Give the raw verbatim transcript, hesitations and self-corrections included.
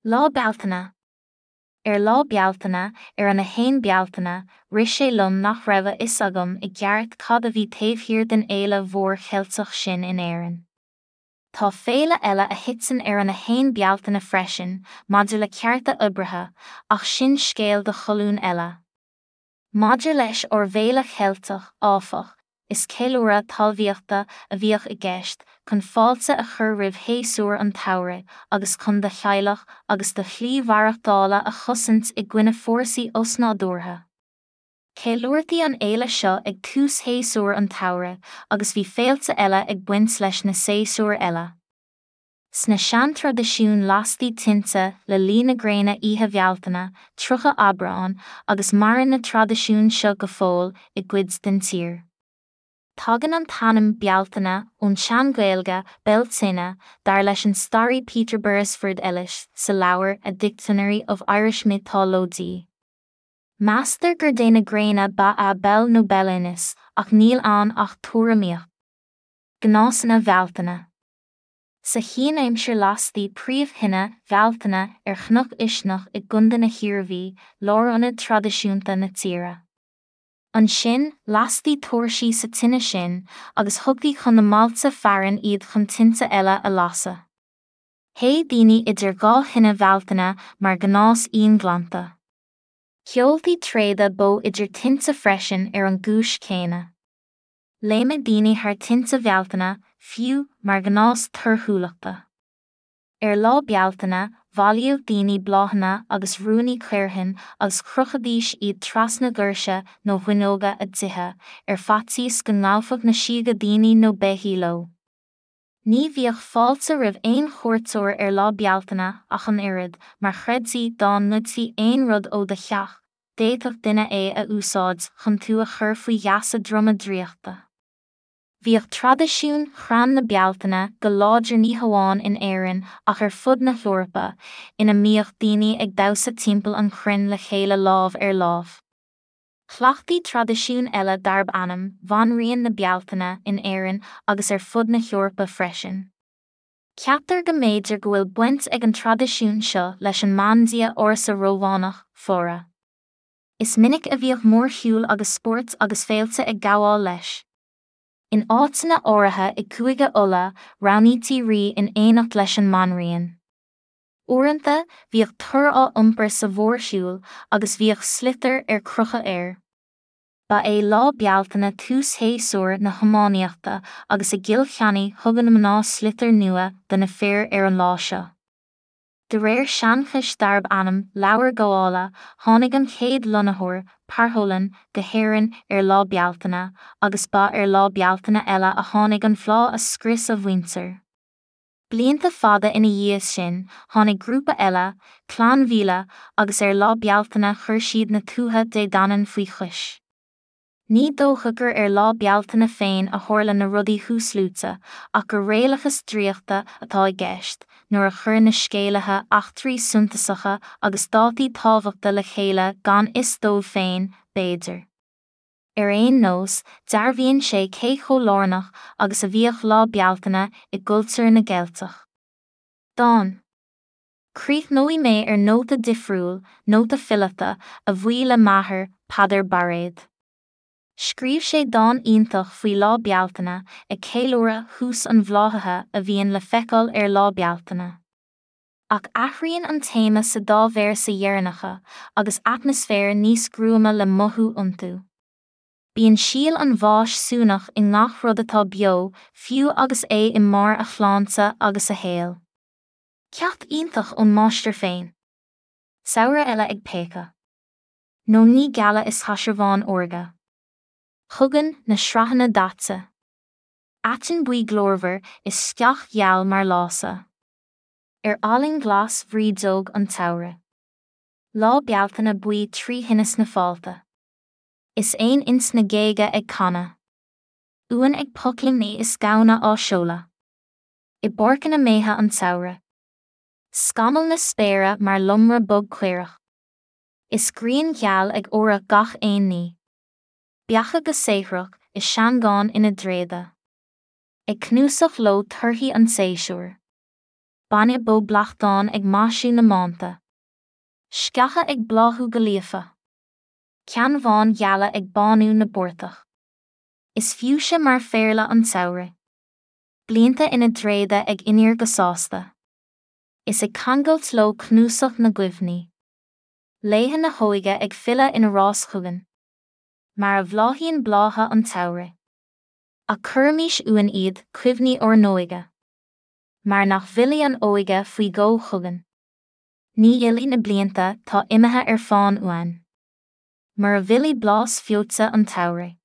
Lá Bealtaine. Ar Lá Bealtaine, ar an a haon Bealtaine, rith sé liom nach raibh a fhios agam i gceart cad a bhí taobh thiar den fhéile mhór Cheilteach sin in Éirinn. Tá féile eile a thiteann ar an a haon Bealtaine freisin, maidir le cearta oibrithe, ach sin scéal do cholún eile. Maidir leis ár bhféile Cheilteach, áfach, is ceiliúradh talmhaíochta a bhíodh i gceist chun fáilte a chur roimh shéasúr an tsamhraidh agus chun do theaghlach agus do shlí mhaireachtála a chosaint i gcoinne fórsaí osnádúrtha. Ceiliúrtaí an fhéile seo ag tús shéasúr an tsamhraidh agus bhí féilte eile ag baint leis na séasúir eile. Sna seantraidisiúin lastaí tinte le luí na gréine Oíche Bhealtaine, tríocha Aibreán, agus maireann na traidisiúin seo go fóill i gcuid den tír. Tagann an t-ainm Bealtaine ón tSean-Ghaeilge Beltane, dar leis an staraí Peter Beresford Ellis sa leabhar A Dictionary of Irish Mythology. Meastar gur dé na gréine ba ea Bel nó Belenus, ach níl ann ach tuairimíocht. Gnásanna Bhealtaine. Sa chianaimsir lastaí príomhthine Bhealtaine ar Chnoc Uisneach i gContae na hIarmhí, lárionad traidisiúnta na tíre. Ansin, lastaí tóirsí sa tine sin agus thugtaí chun na mbailte fearainn iad chun tinte eile a lasadh. Théadh daoine idir dhá thine Bhealtaine mar ghnás íonghlanta. Sheoltaí tréada bó idir tinte freisin ar an gcúis chéanna. Léimeadh daoine thar thinte Bhealtaine, fiú, mar ghnás torthúlachta. Ar Lá Bealtaine, bhailíodh daoine bláthanna agus ruainní caorthainn agus chrochaidís iad trasna dhoirse nó bhfuinneoga a dtithe, ar faitíos go ngabhfadh na síoga daoine nó beithígh leo. Ní bhíodh fáilte roimh aon chuairteoir ar Lá Bealtaine ach an oiread, mar chreidtí dá ngoidfí aon rud ó do theach, d'fhéadfadh duine é a úsáid chun tú a chur faoi gheasa droma draíochta. Bhíodh traidisiún Chrann na Bealtaine go láidir ní hamháin in Éirinn ach ar fud na hEorpa, ina mbíodh daoine ag damhsa timpeall an chrainn le chéile lámh ar láimh. Chleachtaí traidisiún eile darb ainm Bhanríon na Bealtaine in Éirinn agus ar fud na hEorpa freisin. Ceaptar go mb'fhéidir go bhfuil baint ag an traidisiún seo leis an mbandia ársa Rómhánach, Flora. Is minic a bhíodh mórshiúl agus spóirt agus féilte ag gabháil leis. In áiteanna áirithe i gCúige Uladh, roghnaítí rí in éineacht leis an mbanríon. Uaireanta, bhíodh tor á iompar sa mhórshiúl agus bhíodh sliotar ar crochadh air. Ba é Lá Bealtaine tús shéasúr na hiománaíochta agus i gCill Chainnigh thugadh na mná sliotar nua do na fir ar an lá seo. De réir seanchais darb ainm Leabhar Gabhála, tháinig an chéad lonnaitheoir, Partholón, go hÉirinn ar Lá Bealtaine, agus ba ar Lá Bealtaine eile a tháinig an phlá a scrios a mhuintir. Blianta fada ina dhiaidh sin, tháinig grúpa eile, Clann Mhíle, agus ar Lá Bealtaine chuir siad na Tuatha Dé Danann faoi chois. Ní dócha gur ar Lá Bealtaine féin a tharla na rudaí thuasluaite, ach gur réalachas draíochta atá i gceist, nuair a chuir na scéalaithe eachtraí suntasacha agus dátaí tábhachta le chéile gan fhios dóibh féin, b'fhéidir. Ar aon nós, dearbhaíonn sé cé chomh lárnach agus a bhíodh Lá Bealtaine i gcultúr na gCeilteach. Dán. Críochnóidh mé ar nóta difriúil, nóta fileata, a bhuí le m'athair, Peadar Bairéad. Scríobh sé dán iontach faoi Lá Bealtaine, ag ceiliúradh thús an bhláthaithe a bhíonn le feiceáil ar Lá Bealtaine. Ach athraíonn an téama sa dá véarsa dheireanacha, agus atmaisféar níos gruama le mothú iontu. Bíonn síol an bháis suanach i ngach rud atá beo, fiú agus é i mbarr a shláinte agus a shaoil. Ceacht iontach ón máistir féin. Samhradh eile ag péacadh. Nóiníní geala is caisearbháin órga. Chugainn na sraitheanna daite. Aiteann buí glórmhar is sceach gheal mar lása. Ar fhallaing ghlas bhrídeog an tsamhraidh. Lá Bealtaine buí trí thine sna fálta. Is éin ins na géaga ag canadh. Uain ag pocléimní is gamhna á seoladh. I bpáirceanna méithe an tsamhraidh. Scamall na spéire mar lomra bog caorach. Is grian gheal ag óradh gach aon ní. Beacha go saothrach is seangáin ina dtréada. Ag cnuasach leo torthaí an tséasúir. Bainne bó bleachtán ag maisiú na mbánta. Sceacha ag bláthú go líofa. Ceannbháin gheala ag bánú na bportach. Is fiúise mar phéarla an tsamhraidh. Blianta ina dtréada ag iníor go sásta. Is ag ceangailt leo cnuasach na gcuimhní. Laetha na hóige ag filleadh ina rás chugainn. Mar a bhláthaíonn blátha an tsamhraidh. Ach cuirimis uainn iad, cuimhní ár n-óige. Mar nach bhfillfidh an óige faoi dhó chugainn. Ní fhillfidh na blianta tá imithe ar fán uainn. Mura bhfillfidh blas feoite an tsamhraidh.